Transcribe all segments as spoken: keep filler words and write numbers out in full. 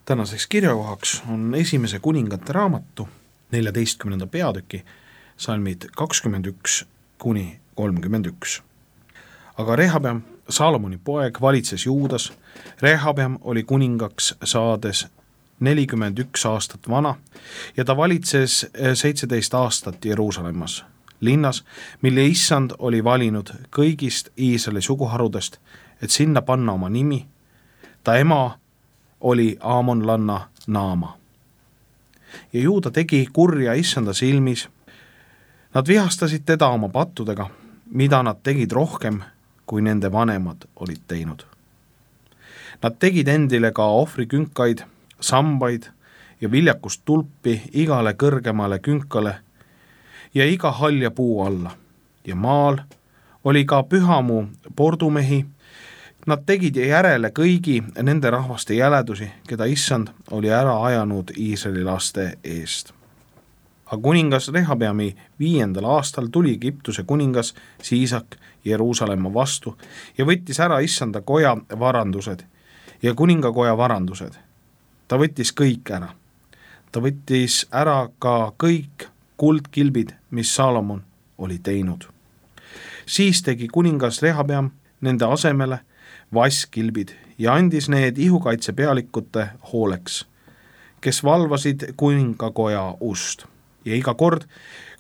Tänaseks kirjakohaks on esimese kuningate raamatu neljateistkümnenda peatüki salmid kakskümmend üks kuni kolmkümmend üks. Aga Rehabeam, Salomoni poeg, valitses Juudas. Rehabeam oli kuningaks saades nelikümmend üks aastat vana ja ta valitses seitseteist aastat Jeruusalemmas, linnas, mille issand oli valinud kõigist Iisraeli suguharudest, et sinna panna oma nimi. Ta ema oli aamonlanna Naama. Ja Juuda tegi kurja issanda silmis. Nad vihastasid teda oma pattudega, mida nad tegid rohkem, kui nende vanemad olid teinud. Nad tegid endile ka ohvrikünkaid, sambaid ja viljakust tulpi igale kõrgemale künkale ja iga halja puu alla. Ja maal oli ka pühamu pordumehi. Nad tegid järele kõigi nende rahvaste jäledusi, keda issand oli ära ajanud Iisraeli laste eest. Aga kuningas Rehabeami viiendal aastal tuli Egiptuse kuningas Siisak Jeruusalemma vastu ja võttis ära issanda koja varandused ja kuningakoja varandused. Ta võttis kõik ära. Ta võttis ära ka kõik kuldkilbid, mis Salomon oli teinud. Siis tegi kuningas Rehabeam nende asemele vasskilbid ja andis need ihukaitse pealikute hooleks, kes valvasid kuningakoja ust. Ja iga kord,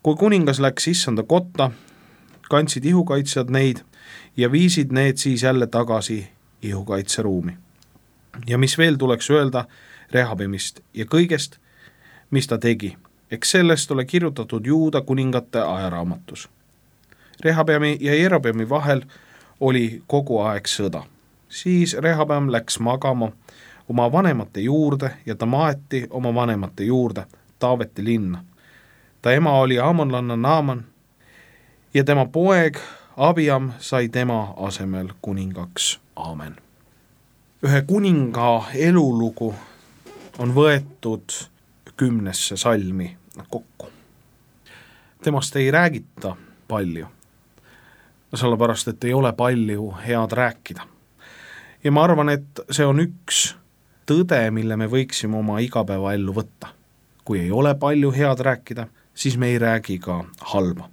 kui kuningas läks issanda kotta, kandsid ihukaitsjad neid ja viisid need siis jälle tagasi ihukaitseruumi. Ja mis veel tuleks öelda Rehabeamist ja kõigest, mis ta tegi, eks sellest ole kirjutatud Juuda kuningate ajaraamatus. Rehabeami ja Jerobeami vahel oli kogu aeg sõda. Siis Rehabeam läks magama oma vanemate juurde ja ta maeti oma vanemate juurde Taaveti linna. Ta ema oli aamonlanna Naaman ja tema poeg Abiam sai tema asemel kuningaks. Aamen. Ühe kuninga elulugu on võetud kümnesse salmi kokku. Temast ei räägita palju, sellepärast et ei ole palju head rääkida. Ja ma arvan, et see on üks tõde, mille me võiksime oma igapäevaellu võtta. Kui ei ole palju head rääkida, siis me ei räägi ka halba.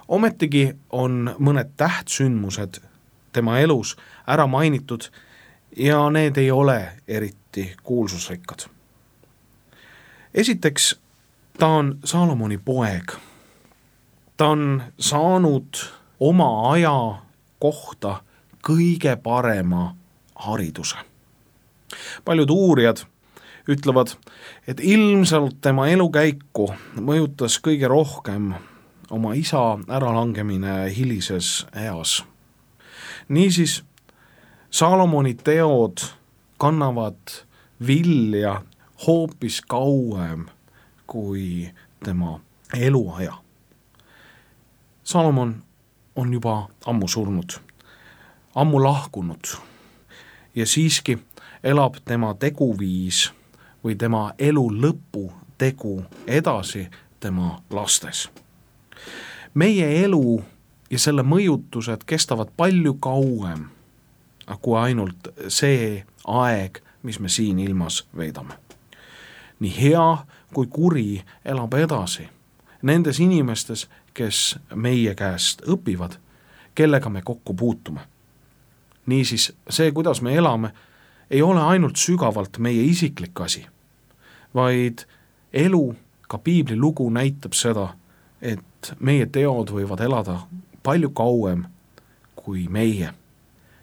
Ometigi on mõned tähtsündmused tema elus ära mainitud ja need ei ole eriti kuulsusrikkad. Esiteks, ta on Salomoni poeg. Ta on saanud oma aja kohta kõige parema hariduse. Paljud uurijad ütlevad, et ilmselt tema elukäiku mõjutas kõige rohkem oma isa äralangemine hilises eas. Niisiis, Salomoni teod kannavad vilja hoopis kauem kui tema eluaja. Salomon on juba ammu surnud, ammu lahkunud ja siiski elab tema teguviis või tema elu lõpu tegu edasi tema lastes. Meie elu ja selle mõjutused kestavad palju kauem kui ainult see aeg, mis me siin ilmas veedame. Nii hea kui kuri elab edasi nendes inimestes, kes meie käest õpivad, kellega me kokku puutume. Niisiis, see, kuidas me elame, ei ole ainult sügavalt meie isiklik asi, vaid elu, ka piibli lugu näitab seda, et meie teod võivad elada palju kauem kui meie.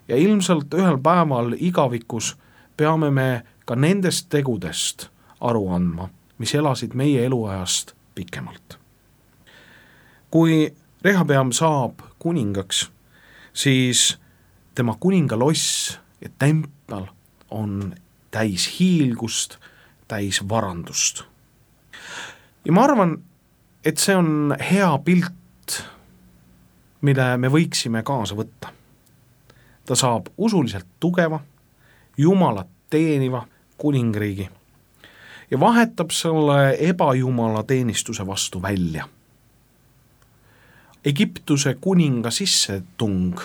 Ja ilmselt ühel päeval igavikus peame me ka nendest tegudest aru andma, mis elasid meie eluajast pikemalt. Kui Rehabeam saab kuningaks, siis tema kuningaloss ja tempel on täis hiilgust, täis varandust. Ja ma arvan, et see on hea pilt, mille me võiksime kaasa võtta. Ta saab usuliselt tugeva, Jumalat teeniva kuningriigi ja vahetab selle ebajumala teenistuse vastu välja. Egiptuse kuninga sissetung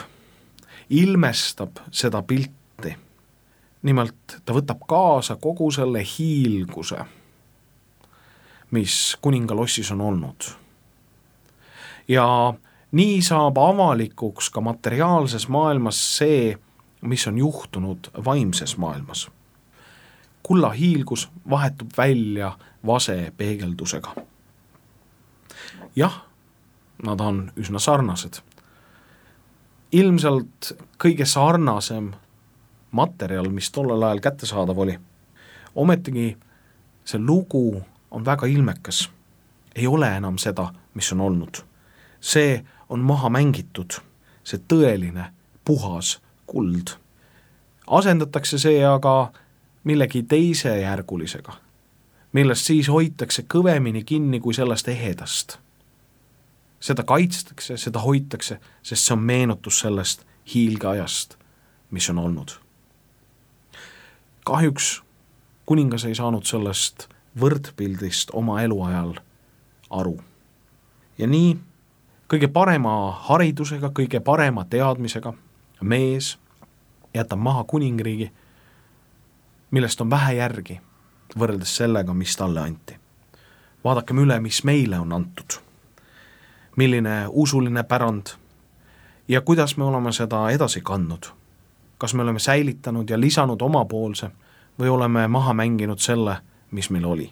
ilmestab seda pilti. nimelt ta võtab kaasa kogu selle hiilguse, mis kuningalossis on olnud. Ja nii saab avalikuks ka materiaalses maailmas see, mis on juhtunud vaimses maailmas. Kulla hiilgus vahetub välja vase peegeldusega. Jah, nad on üsna sarnased. Ilmselt kõige sarnasem materjal, mis tollel ajal kättesaadav oli. Ometigi see lugu on väga ilmekas. Ei ole enam seda, mis on olnud. See on maha mängitud, see tõeline, puhas kuld. Asendatakse see aga millegi teise järgulisega, millest siis hoitakse kõvemini kinni kui sellest ehedast. Seda kaitstakse, seda hoitakse, sest see on meenutus sellest hiilgeajast, mis on olnud. Kahjuks kuningas ei saanud sellest võrdpildist oma eluajal aru. Ja nii kõige parema haridusega, kõige parema teadmisega mees jätab maha kuningriigi, millest on vähe järgi võrreldes sellega, mis talle anti. Vaadakem üle, mis meile on antud. Milline usuline pärand ja kuidas me oleme seda edasi kandnud. Kas me oleme säilitanud ja lisanud omapoolse või oleme maha mänginud selle, mis meil oli.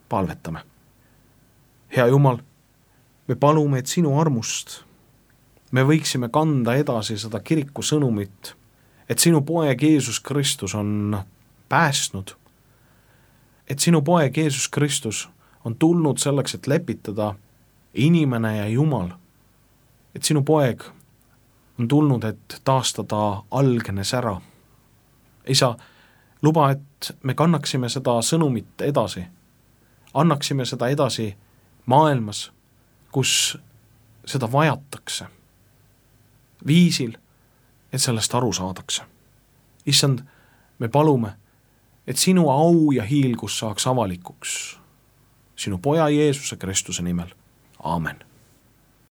Palvetame. Hea Jumal, me palume, et sinu armust me võiksime kanda edasi seda kiriku sõnumit, et sinu poeg Jeesus Kristus on päästnud, et sinu poeg Jeesus Kristus on tulnud selleks, et lepitada inimene ja Jumal, et sinu poeg on tulnud, et taastada algne sära. Isa, luba, et me kannaksime seda sõnumit edasi, annaksime seda edasi maailmas, kus seda vajatakse, viisil, et sellest aru saadakse. Issand, me palume, et sinu au ja hiilgus saaks avalikuks sinu poja Jeesuse Kristuse nimel. Aamen.